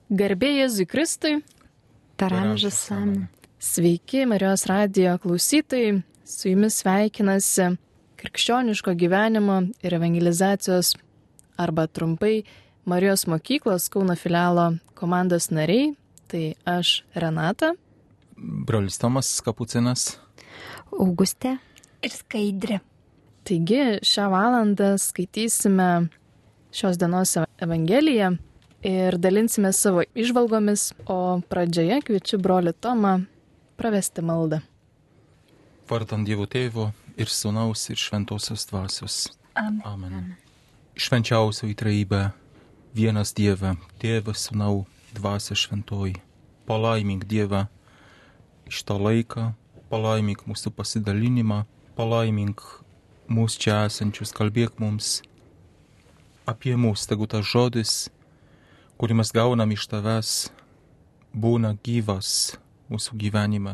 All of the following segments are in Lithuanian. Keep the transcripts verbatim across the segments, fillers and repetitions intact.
Garbė Jėzui Kristui. Per amžius amen. Sveiki, Marijos radijo klausytojai. Su jumis sveikinasi krikščioniško gyvenimo ir evangelizacijos arba trumpai Marijos mokyklos Kauno filialo komandos nariai. Tai aš Renata. Brolis Tomas Kapucinas. Augustė. Ir Skaidrė. Taigi šią valandą skaitysime šios dienos Evangeliją ir dalinsime savo įžvalgomis, o pradžioje kviečiu brolį Tomą pravesti maldą. Vardant Dievo Tėvo ir Sūnaus ir Šventosios Dvasios. Amen. Amen. Švenčiausioji Trejybė, vienas Dieve, Tėvas, Sūnau, Dvasia Šventoji. Palaimink Dievą iš tą laiką, palaimink mūsų pasidalinimą, palaimink mūsų čia esančius, kalbėk mums apie mūsų, tegu tas žodis, kurį mes gaunam iš tavęs, būna gyvas mūsų gyvenime.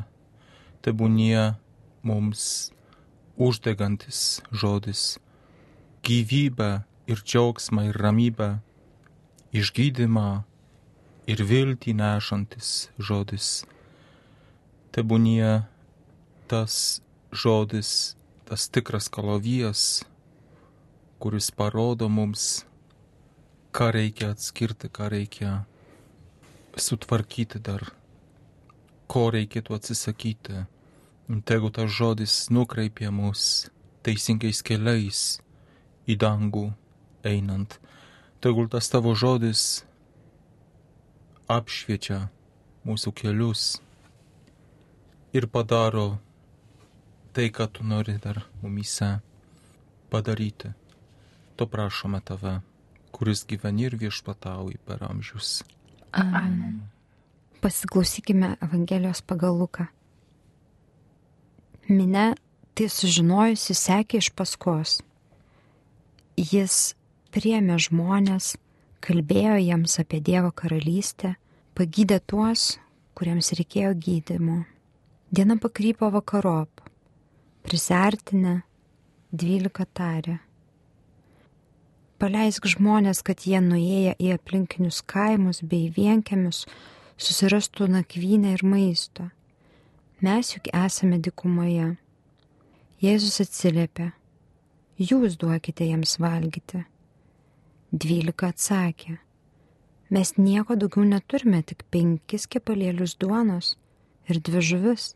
Tebūnie mums uždegantis žodis, gyvybę ir džiaugsmą ir ramybę, išgydymą ir viltį nešantis žodis. Tebūnie tas žodis, tas tikras kalavijas, kuris parodo mums, ką reikia atskirti, ką reikia sutvarkyti dar, ko reikėtų atsisakyti. Tegu tas žodis nukreipia mus teisingais keliais į dangų einant. Tegul tas tavo žodis apšviečia mūsų kelius ir padaro tai, ką tu nori dar mumyse padaryti. To prašome tave, kuris gyveni ir viešpatauji per amžius. Amen. Pasiklausykime Evangelijos pagal Luką. Minia tai sužinojusi sekė iš paskos. Jis priėmė žmonės, kalbėjo jiems apie Dievo karalystę, pagydė tuos, kuriems reikėjo gydymo. Diena pakrypo vakarop. Prisiartinę dvylika tarė. Paleisk žmonės, kad jie nuėję į aplinkinius kaimus bei vienkiemius susirastų nakvynę ir maisto. Mes juk esame dykumoje. Jėzus atsiliepė. Jūs duokite jiems valgyti. Dvylika atsakė. Mes nieko daugiau neturime, tik penkis kepalėlius duonos ir dvi žuvis.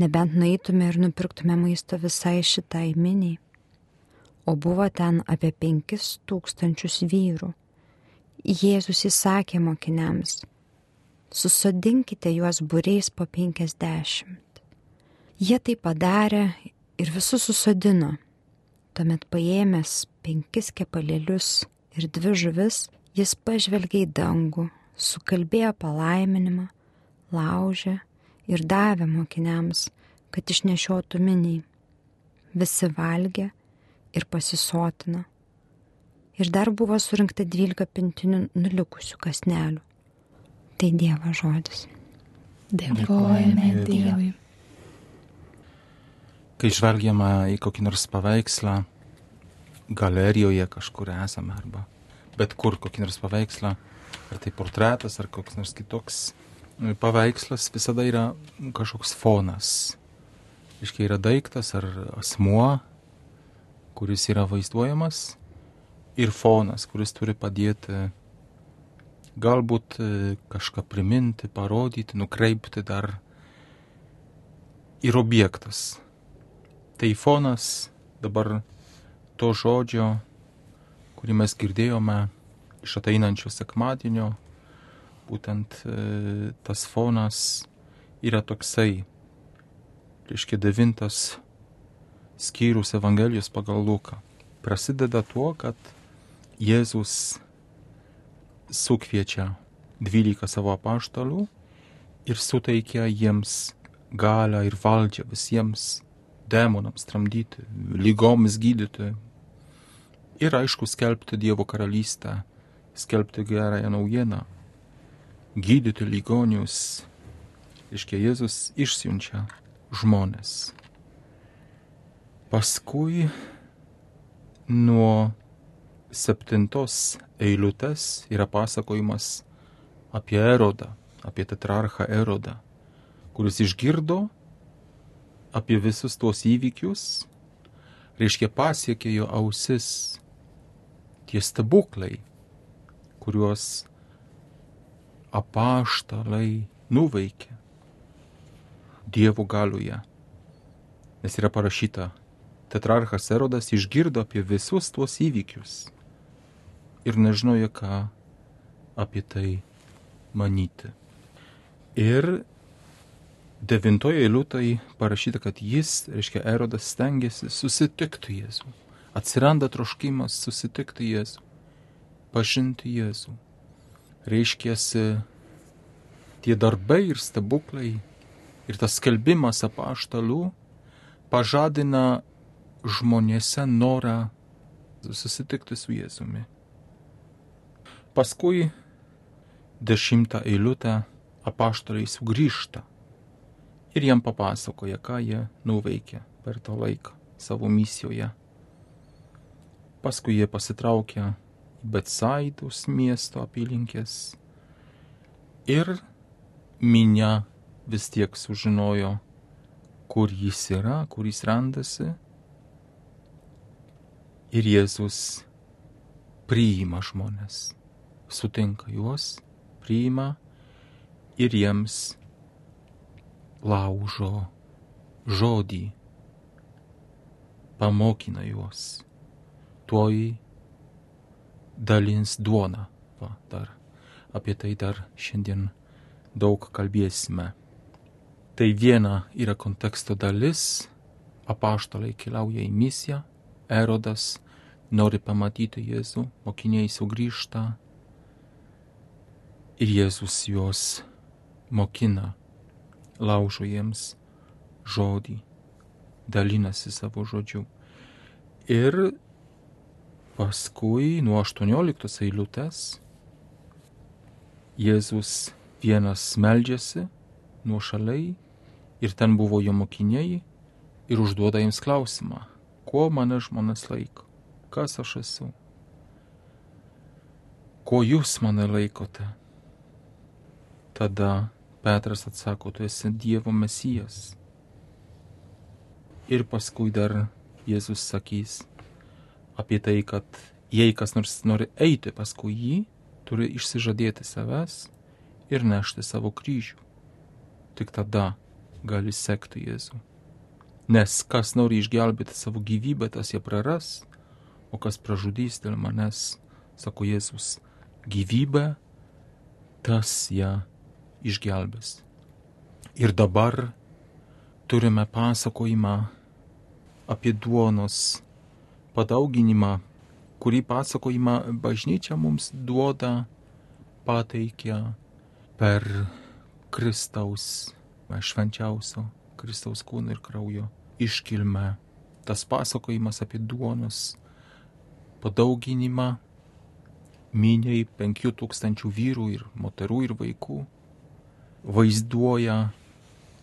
Nebent nueitume ir nupirktume maisto visai šitai miniai. O buvo ten apie penkis tūkstančius vyrų. Jėzus įsakė mokiniams, susodinkite juos būriais po penkiasdešimt. Jie tai padarė ir visus susodino. Tuomet paėmęs penkis kepalėlius ir dvi žuvis, jis pažvelgė į dangų, sukalbėjo palaiminimą, laužė ir davė mokiniams, kad išnešiotų miniai. Visi valgė ir pasisotino. Ir dar buvo surinkta dvylika pintinių nulikusių kąsnelių. Tai Dievo žodis. Dėkojame Dievui. Kai žvelgiame į kokį nors paveikslą, galerijoje kažkur esame arba bet kur kokį nors paveikslą, ar tai portretas, ar koks nors kitoks paveikslas, visada yra kažkoks fonas. Iškai yra daiktas ar asmuo, kuris yra vaizduojamas, ir fonas, kuris turi padėti galbūt kažką priminti, parodyti, nukreipti dar ir objektas. Tai fonas dabar to žodžio, kurį mes girdėjome iš ateinančio sekmadienio, būtent tas fonas yra toksai, reiškia devintas skyrius Evangelijos pagal Luką. Prasideda tuo, kad Jėzus sukviečia dvylika savo apaštalų ir suteikia jiems galią ir valdžią visiems demonams tramdyti, lygoms gydyti ir aišku skelbti Dievo karalystę, skelbti gerąją naujieną, gydyti ligonius. Reiškia, Jėzus išsiunčia žmonės. Paskui nuo septintos eilutės yra pasakojimas apie Erodą, apie tetrarchą Erodą, kuris išgirdo apie visus tuos įvykius, reiškia pasiekė jo ausis tie stebuklai, kuriuos apaštalai nuveikė Dievo galioje. Nes yra parašyta, tetrarchas Erodas išgirdo apie visus tuos įvykius ir nežinojo, ką apie tai manyti. Ir devintoje eilutėje parašyta, kad jis, reiškia Erodas, stengiasi susitikti Jėzų. Atsiranda troškimas susitikti Jėzų, pažinti Jėzų. Reiškiasi tie darbai ir stebuklai ir tas skelbimas apaštalų pažadina žmonėse norą susitikti su Jėzumi. Paskui dešimtą eilutę apaštalai sugrįžta ir jam papasakoja, ką jie nuveikė per tą laiką savo misijoje. Paskui jie pasitraukia į Betsaidos miesto apylinkės ir minia vis tiek sužinojo, kur jis yra, kur jis randasi. Ir Jėzus priima žmonės, sutinka juos, priima ir jiems laužo žodį, pamokina juos. Tuoj dalins duoną. Va, dar apie tai dar šiandien daug kalbėsime. Tai viena yra konteksto dalis, apaštalai keliauja į misiją, Erodas nori pamatyti Jėzų, mokiniai sugrįžta ir Jėzus juos mokina, laužo jiems žodį, dalinasi savo žodžiu. Ir paskui nuo aštuonioliktos eilutės Jėzus vienas meldžiasi nuošaliai ir ten buvo jo mokiniai ir užduoda jiems klausimą, kuo mane žmonės laiko, kas aš esu, ko jūs mane laikote. Tada Petras atsako, tu esi Dievo Mesijas. Ir paskui dar Jėzus sakys apie tai, kad jei kas nors nori eiti paskui jį, turi išsižadėti savęs ir nešti savo kryžių. Tik tada gali sekti Jėzų. Nes kas nori išgelbėti savo gyvybę, tas ją praras, o kas pražudys dėl manęs, sako Jėzus, gyvybę, tas ją išgelbės. Ir dabar turime pasakojimą apie duonos padauginimą, kurį pasakojimą bažnyčia mums duoda, pateikia per Kristaus, švenčiausio Kristaus kūno ir kraujo iškilmę. Tas pasakojimas apie duonos padauginimą miniai penkių tūkstančių vyrų ir moterų ir vaikų vaizduoja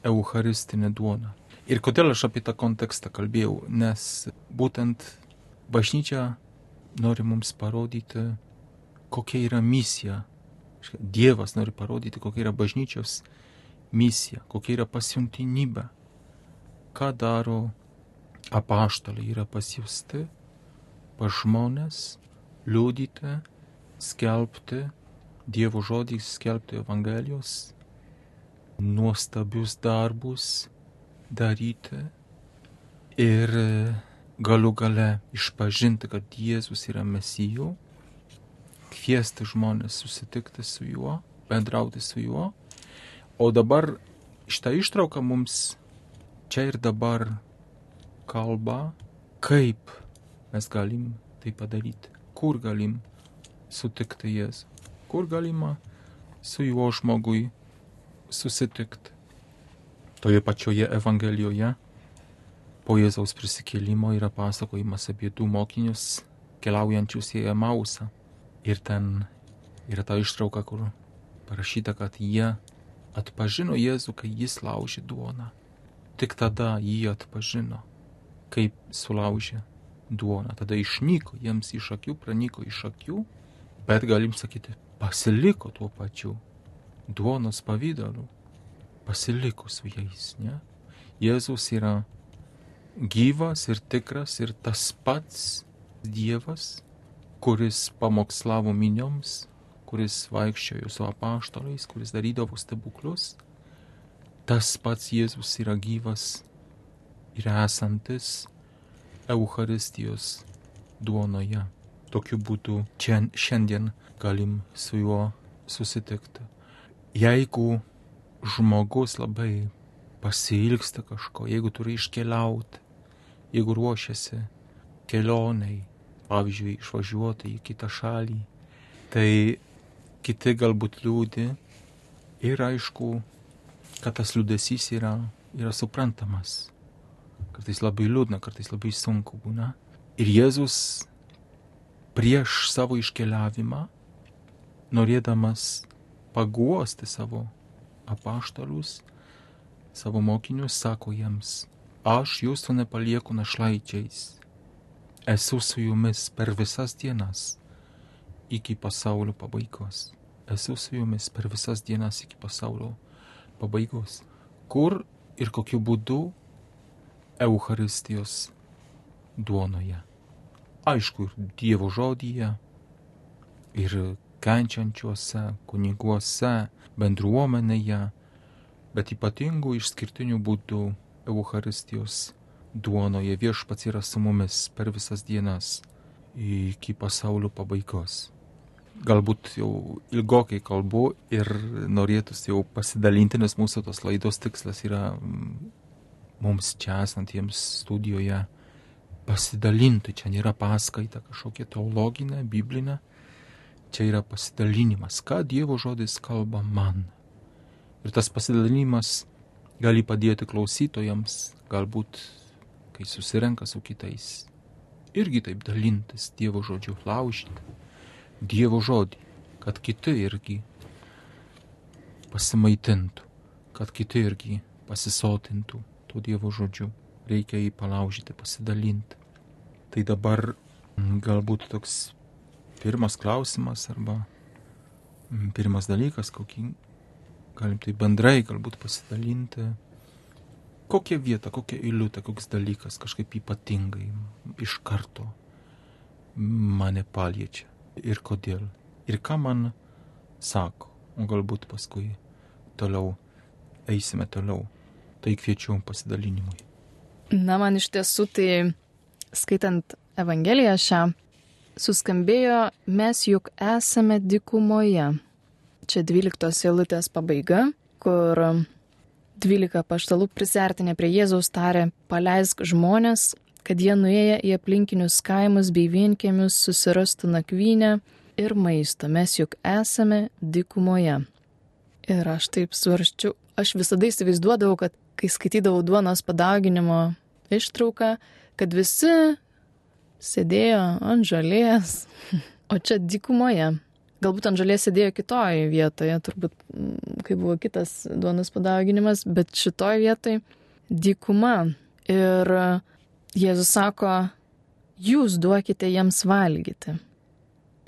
eucharistinę duoną. Ir kodėl aš apie tą kontekstą kalbėjau? Nes būtent bažnyčia nori mums parodyti, kokia yra misija. Dievas nori parodyti, kokia yra bažnyčios misija, kokia yra pasiuntinybė. Ką daro apaštalai, yra pasiųsti pas žmonės, liudyti, skelbti Dievo žodį, skelbti Evangelijos, nuostabius darbus daryti ir galų gale išpažinti, kad Jėzus yra Mesijų, kviesti žmonės susitikti su juo, bendrauti su juo. O dabar šitą ištrauką mums čia ir dabar kalba, kaip mes galim tai padaryti, kur galim sutikti Jėzų, kur galima su juo žmogui susitikti. Toje pačioje Evangelijoje po Jėzaus prisikėlimo yra pasakojimas apie du mokinius keliaujančius į Emausą. Ir ten yra ta ištrauka, kur parašyta, kad jie atpažino Jėzų, kai jis laužė duoną. Tik tada jį atpažino, kaip sulaužė duoną. Tada išnyko jiems iš akių, pranyko iš akių, bet galim sakyti, pasiliko tuo pačiu duonos pavydalu pasiliko su jais, ne? Jėzus yra gyvas ir tikras ir tas pats Dievas, kuris pamokslavo minioms, kuris vaikščiojo su apaštalais, kuris darydavo stebuklus. Tas pats Jėzus yra gyvas ir esantis Eucharistijos duonoje. Tokiu būdu šiandien galim su juo susitikti. Jeigu žmogus labai pasiilgsta kažko, jeigu turi iškeliauti, jeigu ruošiasi kelioniai, pavyzdžiui, išvažiuoti į kitą šalį, tai kiti galbūt liūdi ir aišku, kad tas liūdesys yra, yra suprantamas. Kartais labai liūdna, kartais labai sunku būna. Ir Jėzus prieš savo iškeliavimą, norėdamas paguosti savo apaštalus, savo mokinius, sako jiems, aš jūsų nepalieku našlaičiais, esu su jumis per visas dienas iki pasaulio pabaigos. Esu su jumis per visas dienas iki pasaulio pabaigos. Kur ir kokiu būdu? Eucharistijos duonoje. Aišku, ir Dievo žodyje, ir kenčiančiuose kuniguose, bendruomenėje, bet ypatingų išskirtinių būdų Eucharistijos duonoje. Viešpats yra su mumis per visas dienas iki pasaulio pabaigos. Galbūt jau ilgokai kalbu ir norėtųsi jau pasidalinti, nes mūsų tos laidos tikslas yra mums čia esantiems studijoje pasidalinti. Čia nėra paskaita kažkokia teologinė, biblinė. Čia yra pasidalinimas, ką Dievo žodis kalba man. Ir tas pasidalinimas gali padėti klausytojams, galbūt, kai susirenka su kitais, irgi taip dalintis Dievo žodžiu, laužyti Dievo žodį, kad kiti irgi pasimaitintų, kad kiti irgi pasisotintų tuo Dievo žodžiu. Reikia jį palaužyti, pasidalinti. Tai dabar galbūt toks pirmas klausimas arba pirmas dalykas, kokį galim tai bendrai galbūt pasidalinti. Kokia vieta, kokia eilutė, koks dalykas kažkaip ypatingai iš karto mane paliečia ir kodėl. Ir ką man sako, o galbūt paskui toliau eisime toliau. Tai kviečiu pasidalinimui. Na, man iš tiesų tai, skaitant Evangeliją šią, suskambėjo, mes juk esame dykumoje. Čia dvyliktos eilutės pabaiga, kur dvylika apaštalų prisiartinę prie Jėzaus tarė, paleisk žmonės, kad jie nuėję į aplinkinius kaimus bei vienkiemius susirastų nakvynę ir maisto. Mes juk esame dykumoje. Ir aš taip svarščiu, aš visada įsivaizduodavau, kad kai skaitydavau duonos padauginimo ištrauką, kad visi sėdėjo ant žolės, o čia dykumoje. Galbūt ant žolės sėdėjo kitoje vietoje, turbūt, kai buvo kitas duonos padauginimas, bet šitoje vietoje dykuma. Ir Jėzus sako, jūs duokite jiems valgyti.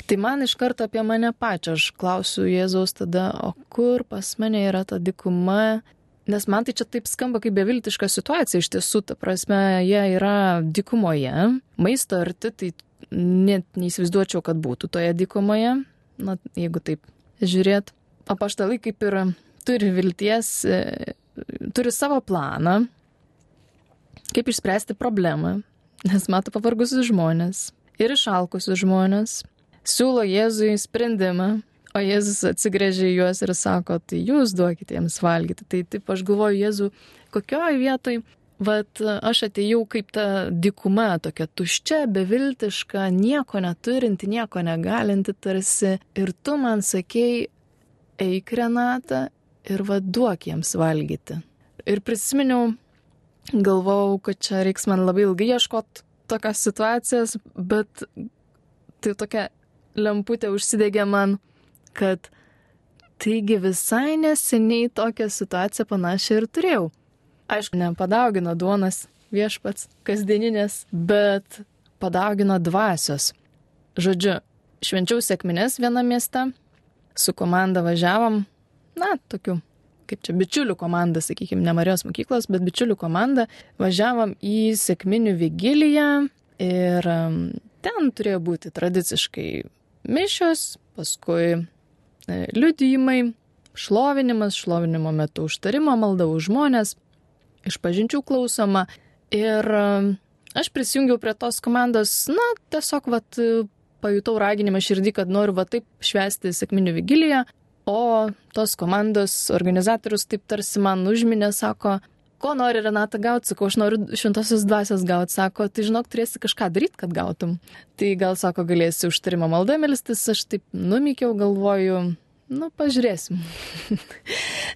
Tai man iš karto apie mane pačią, aš klausiu Jėzaus tada, o kur pas mane yra ta dykuma? Nes man tai čia taip skamba kaip beviltiška situacija, iš tiesų, ta prasme, jie yra dykumoje, maisto arti, tai net neįsivaizduočiau, kad būtų toje dykumoje, na, jeigu taip žiūrėt. Apaštalai kaip ir turi vilties, turi savo planą, kaip išspręsti problemą, nes mato pavargusius žmonės ir išalkusius žmonės, siūlo Jėzui sprendimą, o Jėzus atsigręžia į juos ir sako, tai jūs duokite jiems valgyti. Tai taip aš galvoju, Jėzų, kokioje vietoj, vat aš atėjau kaip ta dykuma, tokia tuščia, beviltiška, nieko neturinti, nieko negalinti tarsi, ir tu man sakei, eik Renata ir vat duok jiems valgyti. Ir prisiminiau, galvojau, kad čia reiks man labai ilgai ieškoti tokios situacijos, bet tai tokia lemputė užsidegė man, kad taigi visai neseniai tokią situaciją panašią ir turėjau. Aišku, nepadaugino duonas viešpats kasdieninės, bet padaugino dvasios. Žodžiu, švenčiau sekmines vienam mieste, su komanda važiavom, na, tokiu, kaip čia, bičiulių komanda, sakykime, ne Marijos mokyklos, bet bičiulių komanda, važiavom į sekminių vigiliją ir ten turėjo būti tradiciškai mišios, paskui liudijimai, šlovinimas, šlovinimo metu užtarimo, malda už žmonės, išpažinčių klausoma. Ir aš prisijungiau prie tos komandos, na, tiesiog, vat, pajutau raginimą širdį, kad noriu va taip švęsti sekminių vigiliją, o tos komandos organizatorius taip tarsi man užminė, sako, ko nori Renata gauti, sakau, aš noriu šventosios dvasios gauti, sako, tai žinok, turėsi kažką daryti, kad gautum. Tai gal, sako, galėsi užtarimo maldą melstis, aš taip numykiau, galvoju, nu, pažiūrėsim.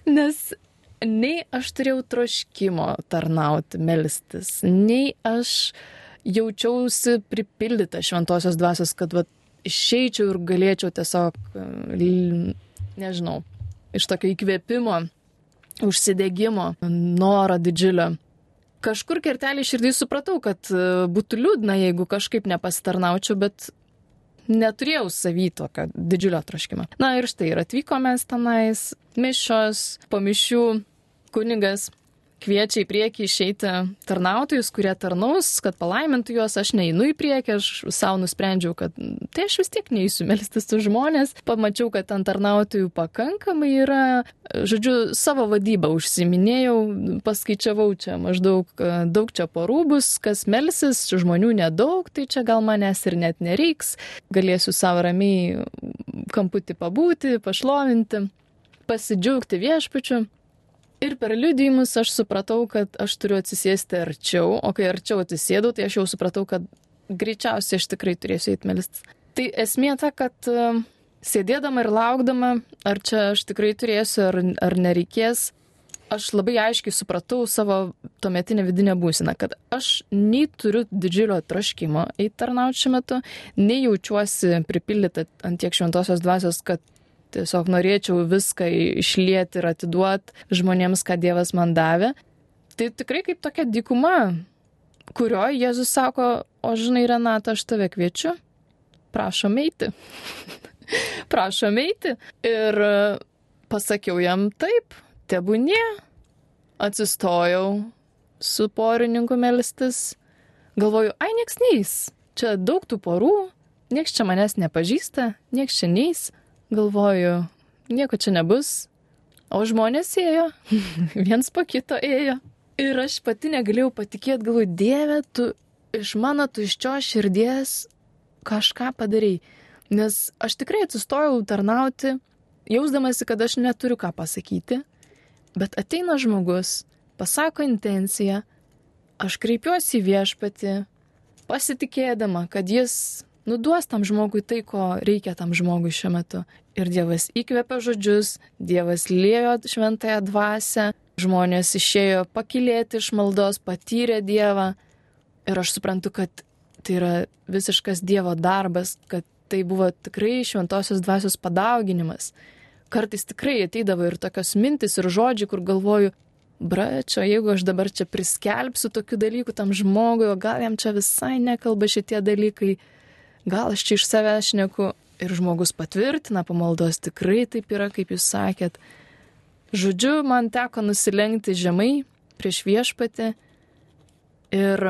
Nes nei aš turėjau troškimo tarnauti, melstis, nei aš jaučiausi pripildyta šventosios dvasios, kad va, išeičiau ir galėčiau tiesiog, nežinau, iš tokio įkvėpimo, užsidegimo, noro didžiulio. Kažkur kertelį širdį supratau, kad būtų liūdna, jeigu kažkaip nepasitarnaučiau, bet neturėjau savy tokio didžiulio troškimo. Na ir štai, ir atvykome tenais, mišios, po mišių kunigas kviečia į priekį išeiti tarnautojus, kurie tarnaus, kad palaimintų juos, aš neinu į priekį, aš savo nusprendžiau, kad tai aš vis tiek neįsiu melstis su žmonės, pamačiau, kad ant tarnautojų pakankamai yra, žodžiu, savo vadybą užsiminėjau, paskaičiavau čia maždaug daug čia porų bus, kas melsis, žmonių nedaug, tai čia gal manęs ir net nereiks, galėsiu savo ramiai kamputį pabūti, pašlovinti, pasidžiaugti viešpačiu. Ir per liudijimus aš supratau, kad aš turiu atsisėsti arčiau, o kai arčiau atsisėdau, tai aš jau supratau, kad greičiausiai aš tikrai turėsiu eiti melstis. Tai esmė ta, kad uh, sėdėdama ir laukdama, ar čia aš tikrai turėsiu, ar, ar nereikės, aš labai aiškiai supratau savo tuometinę vidinę būseną, kad aš nei turiu didžiulio troškimo eiti tarnauti šiuo metu, nei jaučiuosi pripildyta ant tiek šventosios dvasios, kad tiesiog norėčiau viską išlieti ir atiduoti žmonėms, ką Dievas man davė. Tai tikrai kaip tokia dykuma, kurioje Jėzus sako, o žinai, Renata, aš tave kviečiu, prašom eiti. prašom eiti. Ir pasakiau jam taip, tebūnie. Atsistojau su porininku melstis. Galvoju, ai, nieks neis. Čia daug tų porų, nieks čia manęs nepažįsta, nieks čia neis. Galvoju, nieko čia nebus, o žmonės ėjo, viens po kito ėjo. Ir aš pati negalėjau patikėti, galvoju, Dieve, tu iš mano tuščios širdies kažką padarai. Nes aš tikrai atsistojau tarnauti, jausdamasi, kad aš neturiu ką pasakyti, bet ateina žmogus, pasako intenciją, aš kreipiuosi į viešpatį, pasitikėdama, kad jis nuduos tam žmogui tai, ko reikia tam žmogui šiuo metu. Ir Dievas įkvėpė žodžius, Dievas liejo šventąją dvasią, žmonės išėjo pakylėti iš maldos, patyrė Dievą. Ir aš suprantu, kad tai yra visiškas Dievo darbas, kad tai buvo tikrai šventosios dvasios padauginimas. Kartais tikrai ateidavo ir tokios mintis ir žodžiai, kur galvoju, bračio, jeigu aš dabar čia priskelbsiu tokių dalykų tam žmogui, o gal jam čia visai nekalba šitie dalykai, gal aš čia iš savęs šneku, ir žmogus patvirtina pamaldos, tikrai taip yra, kaip jūs sakėt. Žodžiu, man teko nusilenkti žemai prieš viešpatį ir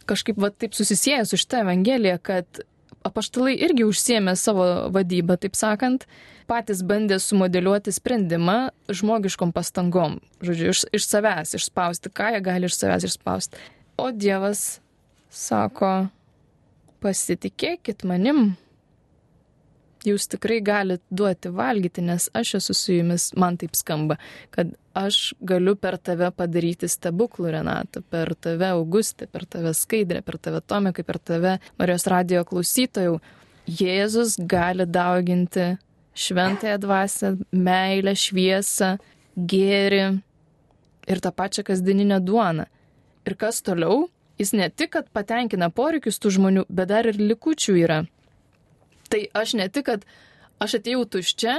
kažkaip va taip susisieja su šitą evangeliją, kad apaštalai irgi užsiėmė savo vadybą, taip sakant, patys bandė sumodeliuoti sprendimą žmogiškom pastangom. Žodžiu, iš, iš savęs išspausti, ką jie gali iš savęs išspausti. O Dievas sako, pasitikėkit manim, jūs tikrai galite duoti valgyti, nes aš esu su jumis, man taip skamba, kad aš galiu per tave padaryti stebuklų, Renata, per tave Augustė, per tave Skaidrė, per tave Tomikai, per tave Marijos radijo klausytojų. Jėzus gali dauginti šventąją dvasią, meilę, šviesą, gėrį ir tą pačią kasdieninę duoną. Ir kas toliau? Jis ne tik, kad patenkina poreikius tų žmonių, bet dar ir likučių yra. Tai aš ne tik, kad aš atėjau tuščia,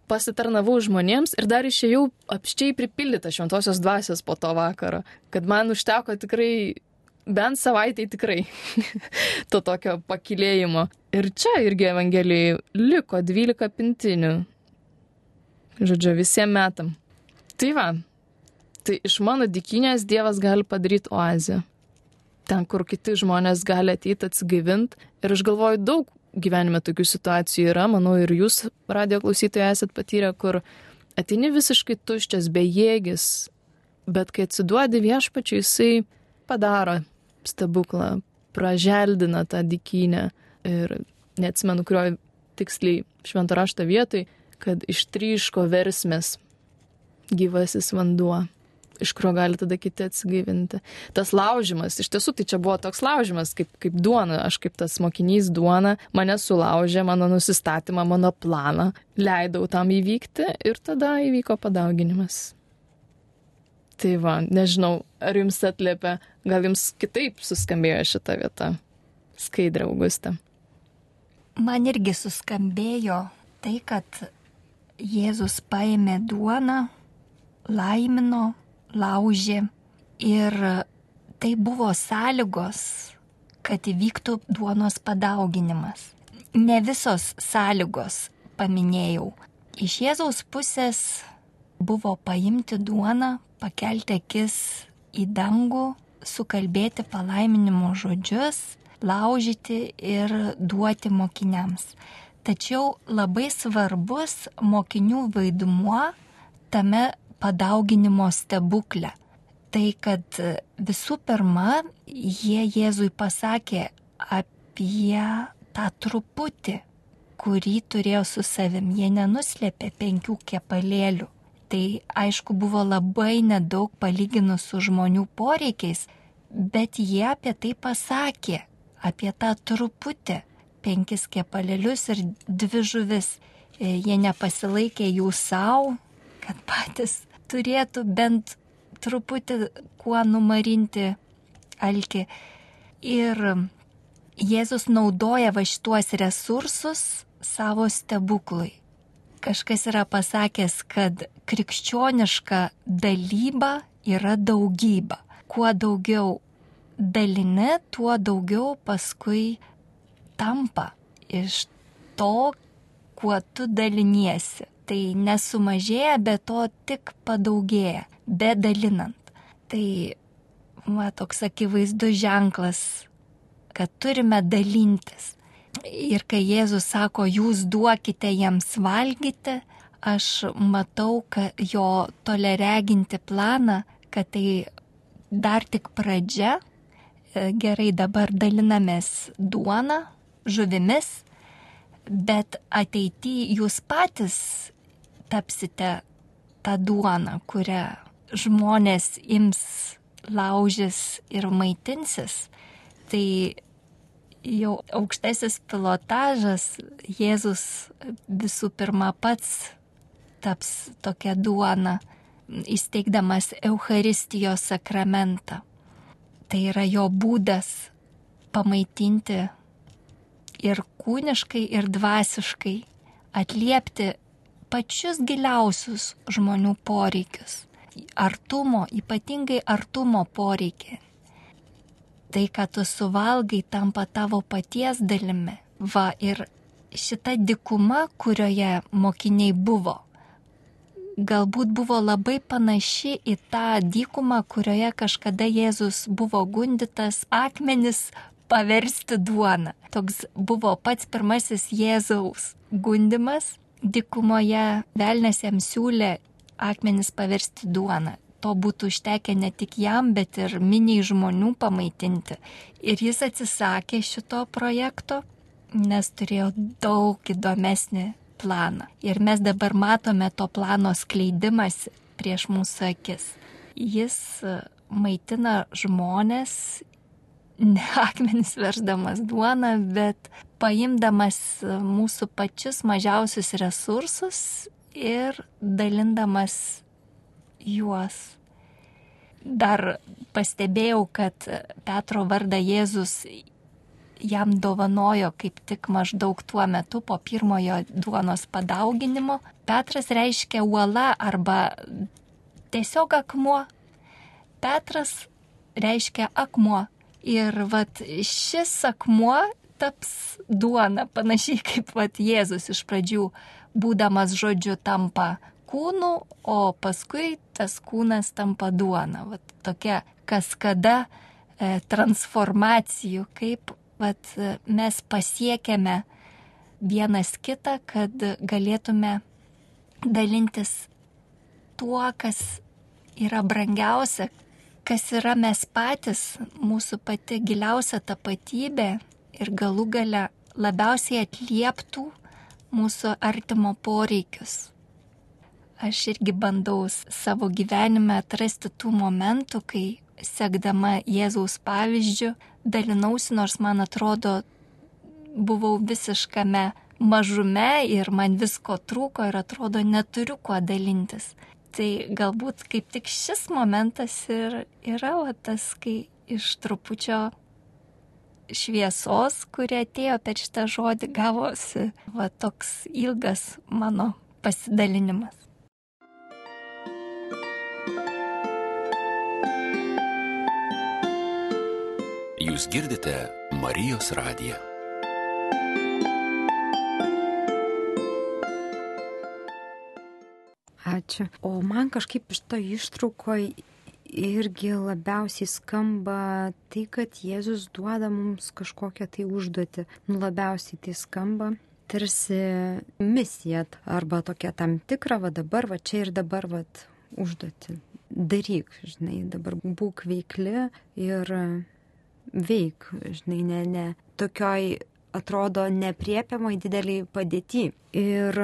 pasitarnavau žmonėms ir dar išėjau apščiai pripildyta šventosios dvasios po to vakaro, kad man užteko tikrai, bent savaitai tikrai, to tokio pakylėjimo. Ir čia irgi Evangelijai liko dvylika pintinių. žodžiu, visiems metam. Tai va, tai iš mano dykynės Dievas gali padaryti oazę. Ten, kur kiti žmonės gali ateiti atsigaivinti. Ir aš galvoju, daug gyvenime tokių situacijų yra, manau, ir jūs, radio klausytojai, esat patyrę, kur ateini visiškai tuščias, bejėgis, bet kai atsiduodi Viešpačiui, jisai padaro stebuklą, praželdina tą dykynę. Ir neatsimenu, kurio tiksliai švento rašto vietoj, kad ištryško versmės gyvasis vanduo, iš kurio gali tada kiti atsigaivinti. Tas laužimas, iš tiesų tai čia buvo toks laužimas, kaip, kaip duona, aš kaip tas mokinys duona, mane sulaužė, mano nusistatymą, mano planą, leidau tam įvykti ir tada įvyko padauginimas. Tai va, nežinau, ar jums atliepia, gal jums kitaip suskambėjo šita vieta, Skaidrė, Augustė. Man irgi suskambėjo tai, kad Jėzus paėmė duoną, laimino, laužė ir tai buvo sąlygos, kad įvyktų duonos padauginimas. Ne visos sąlygos paminėjau. Iš Jėzaus pusės buvo paimti duoną, pakelti akis į dangų, sukalbėti palaiminimo žodžius, laužyti ir duoti mokiniams. Tačiau labai svarbus mokinių vaidmuo tame padauginimo stebukle. Tai, kad visų pirma, jie Jėzui pasakė apie tą truputį, kurį turėjo su savim. Jie nenuslėpė penkių kepalėlių. Tai aišku buvo labai nedaug palyginus su žmonių poreikiais, bet jie apie tai pasakė, apie tą truputį, penkis kepalėlius ir dvi žuvis. Jie nepasilaikė jų savo, kad patys turėtų bent truputį kuo numarinti alkį. Ir Jėzus naudoja va šituos resursus savo stebuklui. Kažkas yra pasakęs, kad krikščioniška dalyba yra daugyba. Kuo daugiau dalini, tuo daugiau paskui tampa iš to, kuo tu daliniesi. Tai nesumažėja, bet to tik padaugėja, bedalinant. Tai va, toks akivaizdus ženklas, kad turime dalintis. Ir kai Jėzus sako, jūs duokite jiems valgyti, aš matau, kad jo tolereginti planą, kad tai dar tik pradžia. Gerai, dabar dalinamės duoną, žuvimis, bet ateityje jūs patys tapsite tą duoną, kurią žmonės ims, laužys ir maitinsis. Tai jau aukštasis pilotažas, Jėzus visų pirma pats taps tokia duona, įsteigdamas Eucharistijos sakramentą. Tai yra jo būdas pamaitinti ir kūniškai, ir dvasiškai, atliepti pačius giliausius žmonių poreikius. Artumo, ypatingai artumo poreikį. Tai, ką tu suvalgai, tampa tavo paties dalimi. Va, ir šita dykuma, kurioje mokiniai buvo, galbūt buvo labai panaši į tą dykumą, kurioje kažkada Jėzus buvo gundytas akmenis paversti duoną. Toks buvo pats pirmasis Jėzaus gundymas. Dykumoje velnias jam siūlė akmenis paversti duoną. To būtų užtekę ne tik jam, bet ir miniai žmonių pamaitinti. Ir jis atsisakė šito projekto, nes turėjo daug įdomesnį planą. Ir mes dabar matome to plano skleidimąsi prieš mūsų akis. Jis maitina žmonės, ne akmenis versdamas duoną, bet paimdamas mūsų pačius mažiausius resursus ir dalindamas juos. Dar pastebėjau, kad Petro vardą Jėzus jam dovanojo kaip tik maždaug tuo metu po pirmojo duonos padauginimo. Petras reiškia uola arba tiesiog akmuo. Petras reiškia akmuo. Ir vat šis akmuo taps duona, panašiai kaip vat Jėzus iš pradžių, būdamas žodžiu, tampa kūnu, o paskui tas kūnas tampa duona. Vat tokia kaskada e, transformacijų, kaip vat, mes pasiekėme vienas kitą, kad galėtume dalintis tuo, kas yra brangiausia, kas yra mes patys, mūsų pati giliausia tapatybė ir galų gale labiausiai atlieptų mūsų artimo poreikius. Aš irgi bandau savo gyvenime atrasti tų momentų, kai sekdama Jėzaus pavyzdžiu dalinausi, nors man atrodo buvau visiškame mažume ir man visko trūko ir atrodo neturiu kuo dalintis. Tai galbūt kaip tik šis momentas ir yra va, tas, kai iš trupučio šviesos, kurie atėjo per šitą žodį, gavosi va, toks ilgas mano pasidalinimas. Jūs girdite Marijos radiją. Ačiū. O man kažkaip iš to ištraukoje irgi labiausiai skamba tai, kad Jėzus duoda mums kažkokią tai užduotį. Nu, labiausiai tai skamba tarsi misija arba tokia tam tikra, va dabar, va čia ir dabar, va užduotį. Daryk, žinai, dabar būk veikli ir veik, žinai, ne, ne. Tokioj atrodo nepriepiamai dideliai padėty. Ir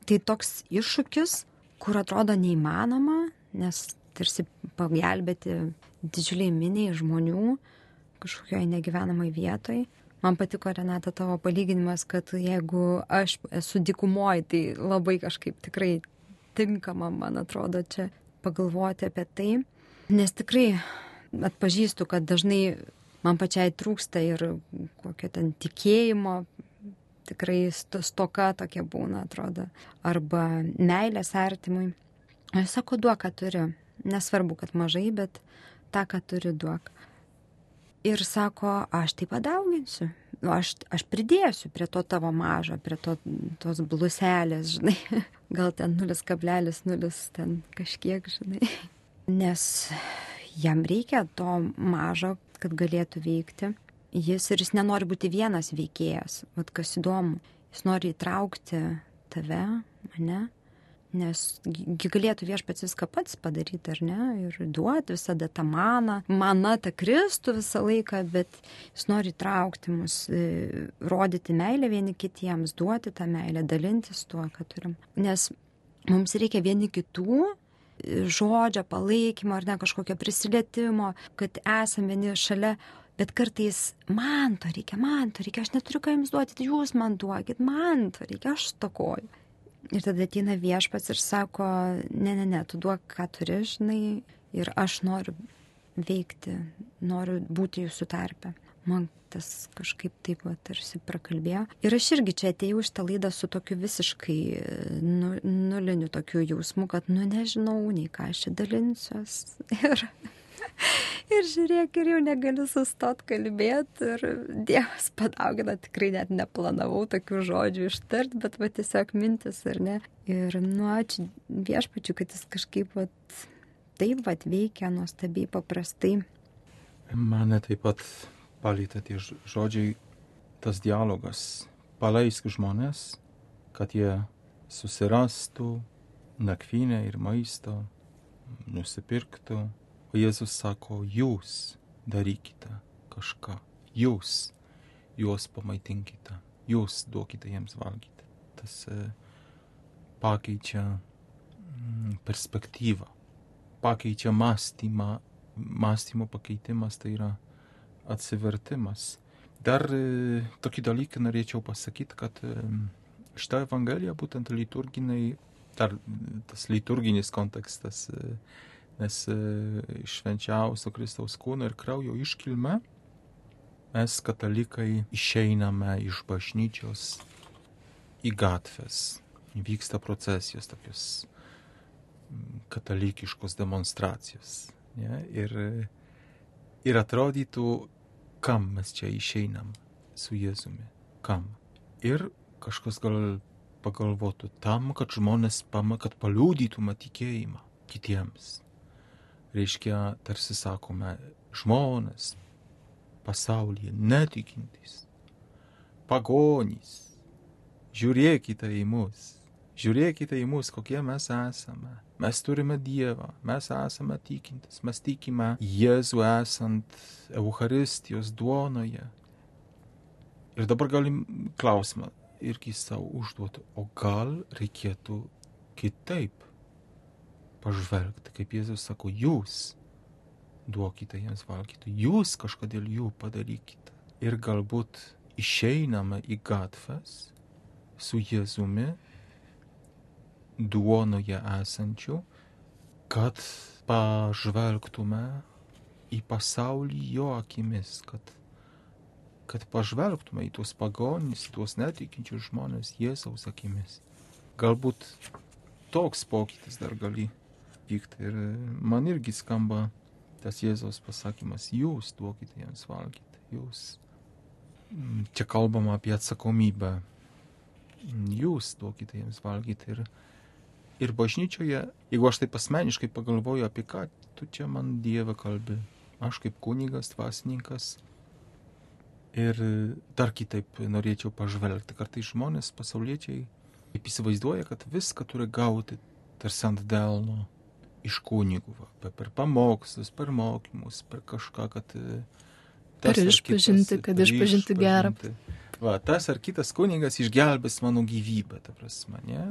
tai toks iššūkis, kur atrodo neįmanoma, nes tarsi pagelbėti didžiuliai miniai žmonių kažkokioje negyvenamai vietoj. Man patiko, Renata, tavo palyginimas, kad jeigu aš esu dykumoje, tai labai kažkaip tikrai tinkama, man atrodo, čia pagalvoti apie tai. Nes tikrai atpažįstu, kad dažnai man pačiai trūksta ir kokio ten tikėjimo, tikrai stoka tokia būna, atrodo, arba meilės artimui. Aš sako, duok, ką turi. Nesvarbu, kad mažai, bet tą, ką turi, duok. Ir sako, aš tai padauginsiu. Aš, aš pridėsiu prie to tavo mažo, prie to, tos bluselės, žinai. Gal ten nulis kablelis nulis ten kažkiek, žinai. Nes jam reikia to mažo, kad galėtų veikti. Jis ir jis nenori būti vienas veikėjas. Vat kas įdomu, jis nori įtraukti tave, mane. Nes galėtų viešpats viską pats padaryti, ar ne, ir duoti visada tą maną, maną tą Kristų visą laiką, bet jis nori traukti mus, rodyti meilę vieni kitiems, duoti tą meilę, dalintis tuo, ką turim. Nes mums reikia vieni kitų žodžio, palaikymo, ar ne, kažkokio prisilietimo, kad esame vieni šalia, bet kartais man to reikia, man to reikia, aš neturiu ką jums duoti, tai jūs man duokit, man to reikia, aš stokoju. Ir tada ateina viešpats ir sako, ne, ne, ne, tu duok, ką turi, žinai, ir aš noriu veikti, noriu būti jūsų tarpe. Man tas kažkaip taip va, tarsi prakalbėjo. Ir aš irgi čia atėjau iš tą laidą su tokiu visiškai nu, nuliniu tokiu jausmu, kad, nu, nežinau, nei ką aš čia dalinsiuos. Ir, ir žiūrėk, ir jau negaliu sustot kalbėti. Ir Dievas padaugina, tikrai net neplanavau tokių žodžių ištart, bet va tiesiog mintis, ar ne. Ir, nu, ačiū viešpačiu, kad jis kažkaip va, taip va veikia nuostabiai paprastai. Mane taip pat palietė tie žodžiai, tas dialogas. Paleisk žmonės, kad jie susirastų nakvynę ir maisto, nusipirktų. O Jėzus sako, jūs darykite kažką, jūs juos pamaitinkite, jūs duokite jiems valgyti. Tas e, pakeičia mm, perspektyvą, pakeičia mąstymą, mąstymo pakeitimas tai yra atsivertimas. Dar e, tokį dalyką norėčiau pasakyti, kad e, šitą evangeliją būtent liturginiai, dar tas liturginis kontekstas, e, nes e, švenčiausio Kristaus kūno ir kraujo iškilme mes katalikai išeiname iš bažnyčios į gatves. Vyksta procesijos, tokios katalikiškos demonstracijos. Ne? Ir, ir atrodytų, kam mes čia išeinam su Jėzumi. Kam? Ir kažkas gal pagalvotų tam, kad žmonės pama, kad paliudytume tikėjimą kitiems. Reiškia, tarsi sakome, žmonės pasaulyje netikintys, pagonys, žiūrėkite į mus, žiūrėkite į mus, kokie mes esame. Mes turime Dievą, mes esame tikintis, mes tikime Jėzų esant Eucharistijos duonoje. Ir dabar galim klausimą irgi savo užduoti, o gal reikėtų kitaip pažvelgti, kaip Jėzus sako, jūs duokite jiems valgyti, jūs kažkodėl jų padarykite. Ir galbūt išeiname į gatves su Jėzumi, duonoje esančiu, kad pažvelgtume į pasaulį jo akimis, kad, kad pažvelgtume į tuos pagonys, į tuos netikinčius žmonės Jėzaus akimis. Galbūt toks pokytis dar gali vykti. Ir man irgi skamba tas Jėzaus pasakymas, jūs duokite jiems valgyti, jūs. Čia kalbama apie atsakomybę. Jūs duokite jiems valgyti. Ir, ir bažnyčioje, jeigu aš taip asmeniškai pagalvoju, apie ką tu čia man Dieve kalbi, aš kaip kunigas, dvasininkas. Ir dar kitaip norėčiau pažvelgti. Kartais žmonės, pasauliečiai, kaip įsivaizduoja, kad viską turi gauti tarsi ant delno iš kunigų, va, per pamokslus, per mokymus, per kažką, kad per išpažinti, kad išpažinti gerą. Va, tas ar kitas kunigas išgelbės mano gyvybę, ta prasme, ne?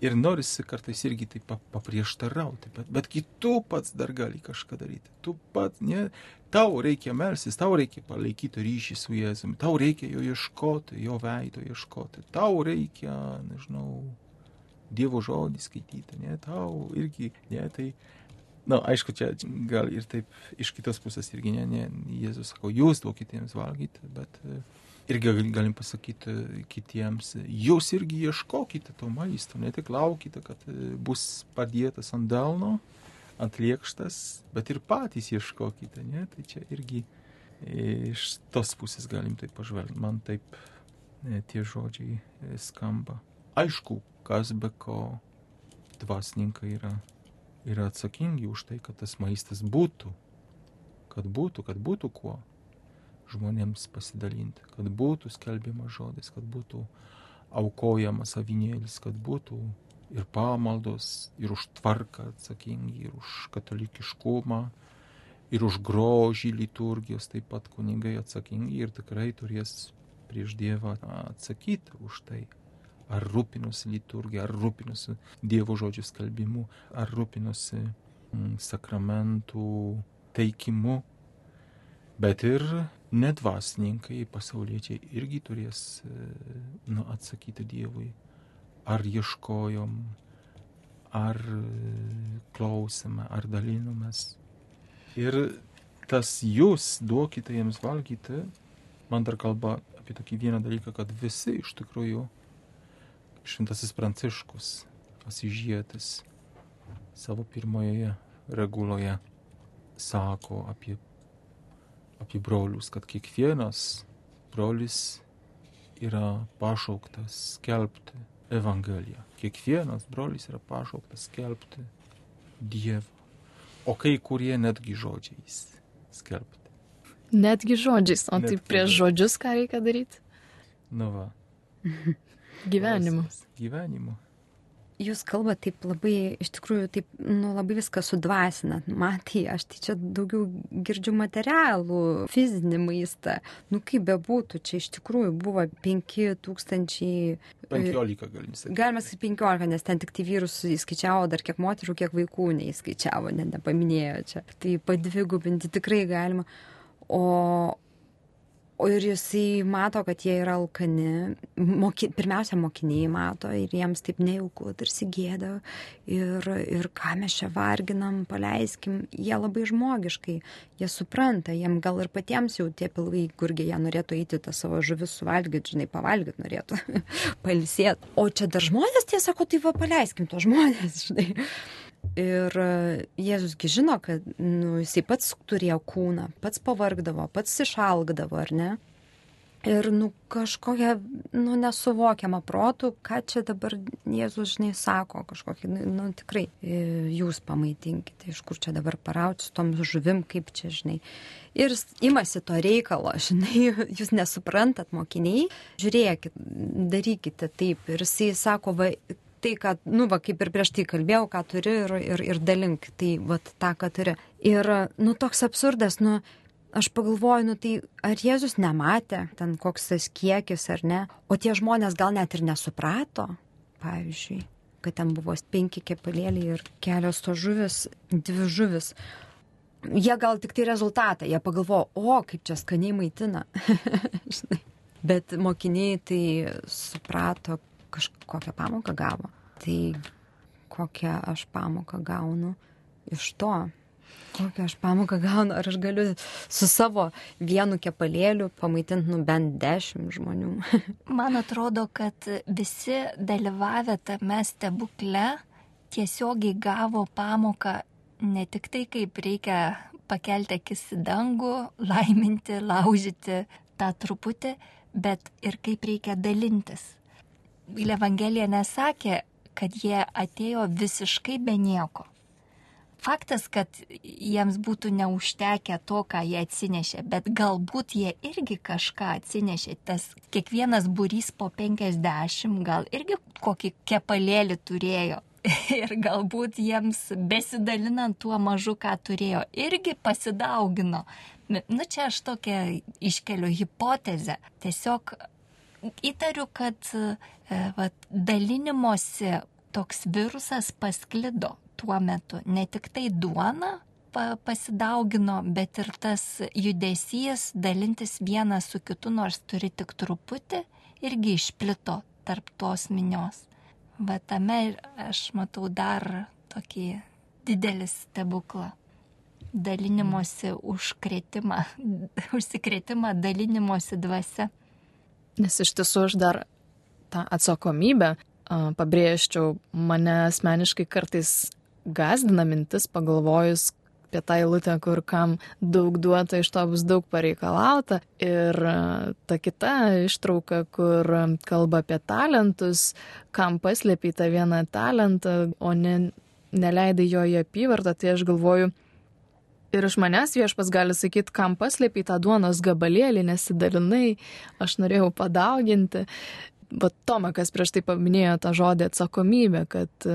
Ir norisi kartais irgi taip paprieštarauti, bet, bet tu pats dar gali kažką daryti. Tu pats, ne? Tau reikia melsis, tau reikia palaikyti ryšį su Jėzumi, tau reikia jo ieškoti, jo veido ieškoti, tau reikia, nežinau, Dievo žodį skaityti, ne, tau irgi, ne, tai, na, aišku, čia gal ir taip iš kitos pusės irgi, ne, ne, Jėzus sako, jūs duokite jiems valgyti, bet irgi galim pasakyti kitiems, jūs irgi ieškokite to maisto, ne tik laukite, kad bus padėtas ant delno, ant lėkštas, bet ir patys ieškokite, ne, tai čia irgi iš tos pusės galim taip pažvelgti, man taip ne, tie žodžiai skamba. Aišku, kas be ko dvasininkai yra, yra atsakingi už tai, kad tas maistas būtų, kad būtų, kad būtų kuo žmonėms pasidalinti, kad būtų skelbiamas žodis, kad būtų aukojamas avinėlis, kad būtų ir pamaldos, ir už tvarką atsakingi, ir už katalikiškumą, ir už grožį liturgijos, taip pat kunigai atsakingi ir tikrai turės prieš Dievą atsakyti už tai. Ar rūpinosi liturgija, ar rūpinosi Dievo žodžių skalbimu, ar rūpinosi mm, sakramentų teikimu. Bet ir nedvasininkai, pasauliečiai irgi turės nu, atsakyti Dievui. Ar ieškojom, ar klausėme, ar dalinomės. Ir tas jūs duokite jiems valgyti, man dar kalba apie tokį vieną dalyką, kad visi iš tikrųjų Šventasis Pranciškus, Asyžietis, savo pirmoje reguloje sako apie, apie brolius, kad kiekvienas brolis yra pašauktas skelbti Evangeliją. Kiekvienas brolis yra pašauktas skelbti Dievą. O kai kurie netgi žodžiais skelbti. Netgi žodžiais, o Netgi tai prieš žodžius ką reikia daryti? Nu va. Gyvenimu. Gyvenimu. Jūs kalbate taip labai, iš tikrųjų, taip, nu, labai viską sudvasinat. Man tai, aš tai čia daugiau girdžiu materialų, fizinį maistą. Nu, kaip bebūtų, čia iš tikrųjų buvo penki tūkstančiai... Penkiolika galim sakyti. Galima sakyti penkiolika, nes ten tik tai vyrus įskaičiavo, dar kiek moterų, kiek vaikų neįskaičiavo, net nepaminėjo čia. Tai padvigubinti tikrai galima. O... O ir jisai mato, kad jie yra alkani, moki, pirmiausia mokiniai mato ir jiems taip nejauku, tarsi gėda ir, ir ką mes čia varginam, paleiskim, jie labai žmogiškai, jie supranta, jiem gal ir patiems jau tie pilvai gurgiai, jie norėtų eiti tą savo žuvis suvalgyti, žinai, pavalgyti norėtų, pailsėti. O čia dar žmonės, tie sako, tai va paleiskim to žmonės, žinai. Ir Jėzusgi žino, kad nu, jisai pats turėjo kūną, pats pavargdavo, pats išalgdavo, ar ne? Ir, nu, kažkokia, nu, nesuvokiama protų, ką čia dabar Jėzus, žinai, sako, kažkokį, nu, tikrai, jūs pamaitinkite, iš kur čia dabar parauti su tom žuvim, kaip čia, žinai. Ir imasi to reikalo, žinai, jūs nesuprantat, mokiniai, žiūrėkit, darykite taip. Ir jisai sako, va, tai, kad, nu, va, kaip ir prieš tai kalbėjau, ką turi ir, ir, ir dalink, tai, va, tą, ką turi. Ir, nu, toks absurdas, nu, aš pagalvoju, nu tai ar Jėzus nematė, ten koks tas kiekis ar ne, o tie žmonės gal net ir nesuprato, pavyzdžiui, kad ten buvo penki kepalėliai ir kelios to žuvis, dvi žuvis. Jie gal tik tai rezultatą, jie pagalvojo, o, kaip čia skaniai maitina. Bet mokiniai tai suprato, kažkokią pamoką gavo. Tai kokią aš pamoką gaunu iš to. Kokią aš pamoką gaunu, ar aš galiu su savo vienu kepalėliu pamaitinti, nu, bent dešimt žmonių. Man atrodo, kad visi dalyvavę tame stebukle tiesiogiai gavo pamoką ne tik tai, kaip reikia pakelti akis į dangų, laiminti, laužyti tą truputį, bet ir kaip reikia dalintis. Evangelija nesakė, kad jie atėjo visiškai be nieko. Faktas, kad jiems būtų neužtekę to, ką jie atsinešė, bet galbūt jie irgi kažką atsinešė. Tas kiekvienas būrys po penkiasdešimt gal irgi kokį kepalėlį turėjo. Ir galbūt jiems besidalinant tuo mažu, ką turėjo, irgi pasidaugino. Nu, čia aš tokią iškeliu hipotezę. Tiesiog įtariu, kad va, dalinimosi toks virusas pasklido tuo metu. Ne tik tai duona pasidaugino, bet ir tas judesys dalintis vienas su kitu, nors turi tik truputį, irgi išplito tarp tos minios. Bet tame aš matau dar tokį didelį stebuklą. Dalinimosi užkrėtimą, užsikrėtimą dalinimosi dvasia. Nes iš tiesų aš dar tą atsakomybę pabrėžčiau, mane asmeniškai kartais gazdina mintis pagalvojus apie tą eilutę, kur kam daug duota, iš to bus daug pareikalauta. Ir ta kita ištrauka, kur kalba apie talentus, kam paslėpė tą vieną talentą, o ne, neleidai jo į apyvartą, tai aš galvoju, ir iš manęs viešpas gali sakyti, kam paslėpė tą duonos gabalėlį, nesidalinai, aš norėjau padauginti. Bet Tomakas prieš tai paminėjo tą žodį atsakomybę, kad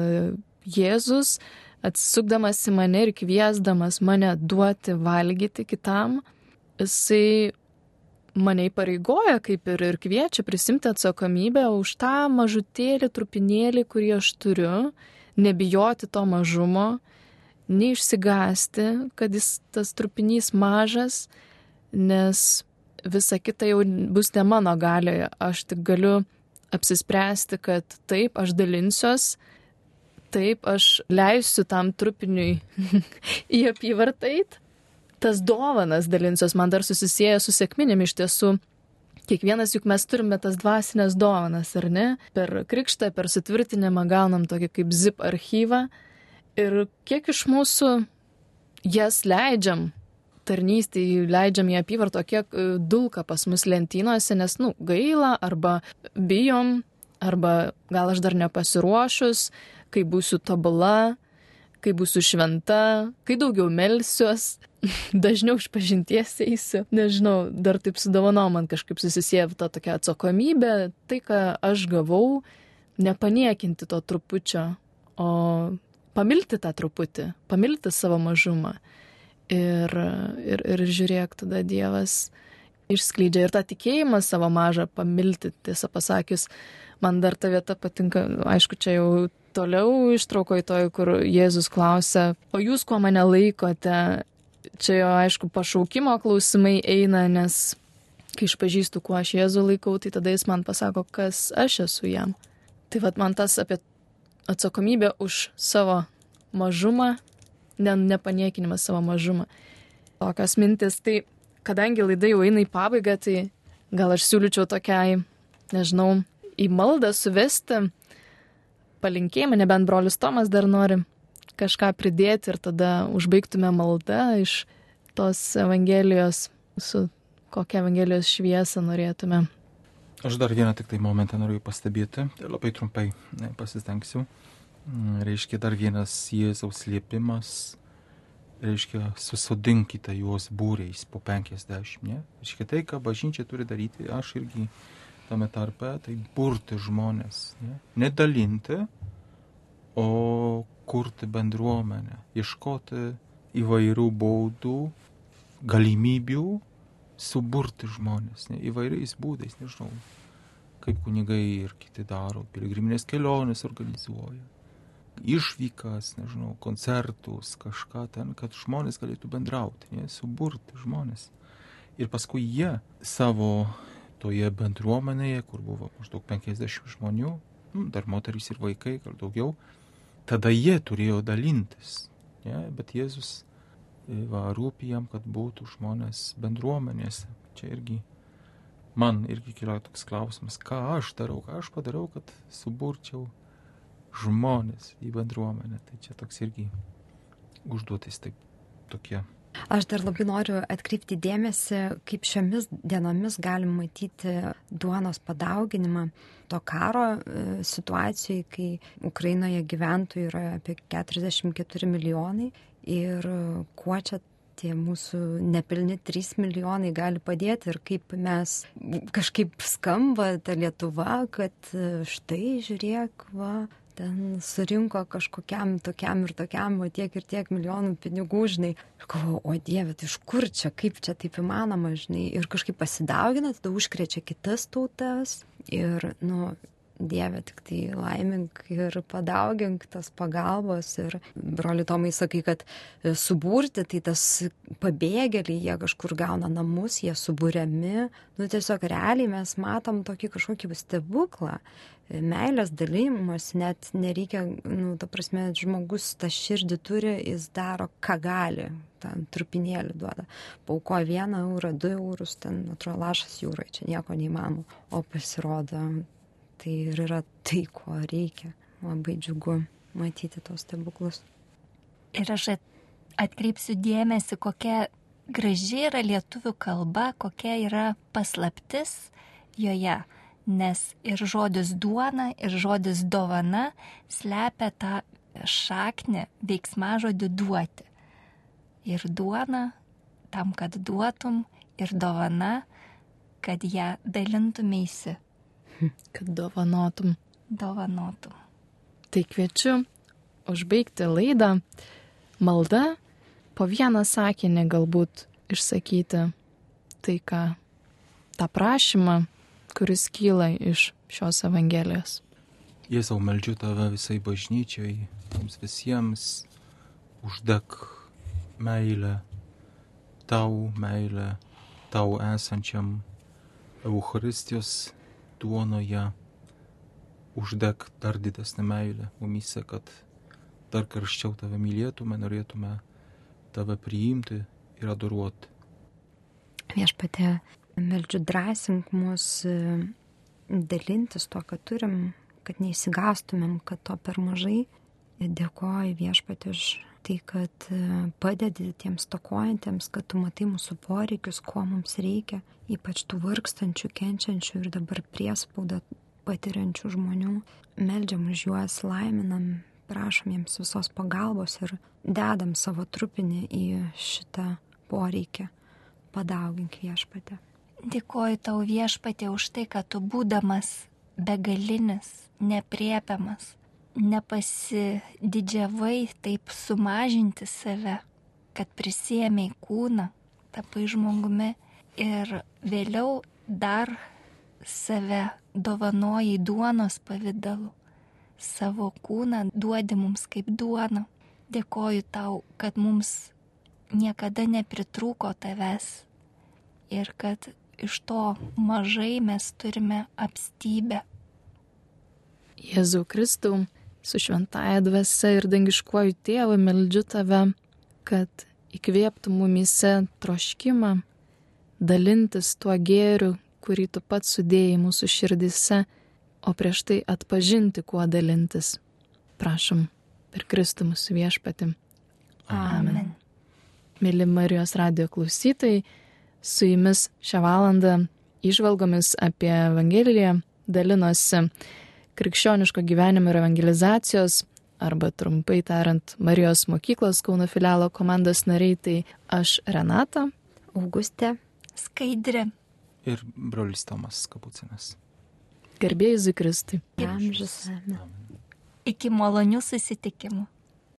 Jėzus, atsisukdamas į mane ir kviesdamas mane duoti valgyti kitam, jisai mane įpareigoja kaip ir, ir kviečia prisimti atsakomybę už tą mažutėlį, trupinėlį, kurį aš turiu, nebijoti to mažumo, neišsigąsti, kad jis tas trupinys mažas, nes visa kita jau bus ne mano galioje. Aš tik galiu apsispręsti, kad taip, aš dalinsiuos, taip, aš leisiu tam trupiniui į apyvartą eit. Tas dovanas dalinsiuos, man dar susisieja su sekminėm iš tiesų. Kiekvienas juk mes turime tas dvasinės dovanas, ar ne? Per krikštą, per sutvirtinimą gaunam tokį kaip zip archyvą. Ir kiek iš mūsų jas leidžiam tarnystėj, leidžiam į apyvartą, kiek dulka pas mus lentynose, nes, nu, gaila, arba bijom, arba gal aš dar nepasiruošus, kai būsiu tobula, kai būsiu šventa, kai daugiau melsiuos, dažniau iš pažinties eisiu. Nežinau, dar taip su dovanom man kažkaip susisieja ta tokia atsakomybė, tai, ką aš gavau, nepaniekinti to trupučio, o pamilti tą truputį, pamilti savo mažumą. Ir, ir, ir žiūrėk, tada Dievas išskleidžia ir tą tikėjimą savo mažą pamilti, tiesą pasakius. Man dar ta vieta patinka, aišku, čia jau toliau ištraukoj toj, kur Jėzus klausia, o jūs kuo mane laikote? Čia jo, aišku, pašaukimo klausimai eina, nes kai išpažįstu, kuo aš Jėzų laikau, tai tada jis man pasako, kas aš esu jam. Tai vat man tas apie atsakomybę už savo mažumą, ne, nepaniekinimas savo mažumą. Tokios mintis, tai kadangi laida jau eina į pabaigą, tai gal aš siūlyčiau tokiai, nežinau, į maldą suvesti palinkėjimą, nebent brolis Tomas dar nori kažką pridėti ir tada užbaigtume maldą iš tos Evangelijos su kokią Evangelijos šviesą norėtume. Aš dar vieną tik tai momentą noriu pastebėti, tai labai trumpai pasistengsiu. Reiškia dar vienas Jėzaus liepimas, reiškia susodinkite juos būriais po penkiasdešimt, ne? Reiškia tai, ką bažnyčia turi daryti, aš irgi tame tarpe, tai burti žmonės, ne? Nedalinti, o kurti bendruomenę, ieškoti įvairių baudų, galimybių, suburti žmonės, ne, įvairiais būdais, nežinau, kaip kunigai ir kiti daro, piligriminės kelionės organizuoja, išvykas, nežinau, koncertus, kažką ten, kad žmonės galėtų bendrauti, ne, suburti žmonės. Ir paskui jie savo toje bendruomenėje, kur buvo maždaug penkiasdešimt žmonių, nu, dar moterys ir vaikai, gal daugiau, tada jie turėjo dalintis, ne, bet Jėzus va, rūpi jam, kad būtų žmonės bendruomenėse. Čia irgi, man irgi kyla toks klausimas, ką aš darau, ką aš padarau, kad suburčiau žmonės į bendruomenę. Tai čia toks irgi užduotis taip tokie. Aš dar labai noriu atkreipti dėmesį, kaip šiomis dienomis galim matyti duonos padauginimą to karo situacijai, kai Ukrainoje gyventojų yra apie keturiasdešimt keturi milijonai ir kuo čia tie mūsų nepilni trys milijonai gali padėti ir kaip mes kažkaip skamba ta Lietuva, kad štai žiūrėk, va, ten surinko kažkokiam tokiam ir tokiam, o tiek ir tiek milijonų pinigų, žinai. Ir galvoju, o Dieve, tai iš kur čia, kaip čia taip įmanoma, žinai. Ir kažkaip pasidaugina, tada užkrečia kitas tautas. Ir, nu, Dieve, tik tai laimink ir padaugink tas pagalbos. Ir broli Tomai sakai, kad suburti, tai tas pabėgėliai, jie kažkur gauna namus, jie suburiami. Nu, tiesiog realiai mes matom tokį kažkokį stebuklą. Meilės dalymas, net nereikia, nu, ta prasme, žmogus tą širdį turi, jis daro, ką gali, ten trupinėlį duoda. Paukoja vieną eurą, du eurus, ten, atrodo, lašas jūrai, čia nieko neįmanoma. O pasirodo, tai ir yra tai, ko reikia. Labai džiugu matyti tos stebuklus. Ir aš atkreipsiu dėmesį, kokia graži yra lietuvių kalba, kokia yra paslaptis joje. Nes ir žodis duona, ir žodis dovana slepia tą šaknį veiksmažodį duoti. Ir duona tam, kad duotum, ir dovana, kad ją dalintumėsi. Kad dovanotum. Dovanotum. Tai kviečiu užbaigti laidą malda, po vieną sakinį galbūt išsakyti tai, ką tą prašymą, kuris kyla iš šios Evangelijos. Jėzau, meldžiu tave visai bažnyčiai, mums visiems uždek meilę, tau meilę, tau esančiam Eucharistijos duonoje, uždek dar didesnę meilę mumyse, kad dar karščiau tave mylėtume, norėtume tave priimti ir adoruoti. Viešpatie, meldžiu drąsink mus dalintis to, ką turim, kad neįsigastumėm, kad to per mažai. Dėkoju Viešpatie už tai, kad padedi tiems stokojantiems, kad tu matai mūsų poreikius, ko mums reikia, ypač tų vargstančių, kenčiančių ir dabar priespaudą patiriančių žmonių. Meldžiam už juos, laiminam, prašom jiems visos pagalbos ir dedam savo trupinį į šitą poreikį. Padaugink Viešpatie. Dėkoju tau Viešpatie už tai, kad tu būdamas begalinis, nepriepiamas, nepasididžiavai taip sumažinti save, kad prisiėmei kūną, tapai žmogumi ir vėliau dar save dovanojai duonos pavidalu. Savo kūną duodi mums kaip duoną. Dėkoju tau, kad mums niekada nepritrūko tavęs ir kad iš to mažai mes turime apstybę. Jėzau Kristau, su šventaja dvasia ir dangiškuoju tėvu meldžiu tave, kad įkvėptų mumyse troškimą dalintis tuo gėriu, kurį tu pats sudėjai mūsų širdise, o prieš tai atpažinti, kuo dalintis. Prašom, per Kristų mūsų Viešpatį. Amen. Mėly Marijos radijo klausytojai, Su jumis šią valandą įžvalgomis apie Evangeliją dalinosi Krikščioniško gyvenimo ir evangelizacijos, arba trumpai tariant, Marijos mokyklos Kauno filialo komandos nariai, tai aš Renata, Augustė, Skaidrė ir brolis Tomas Kapucinas. Garbė Jėzui Kristui. Amžius. Iki malonių susitikimų.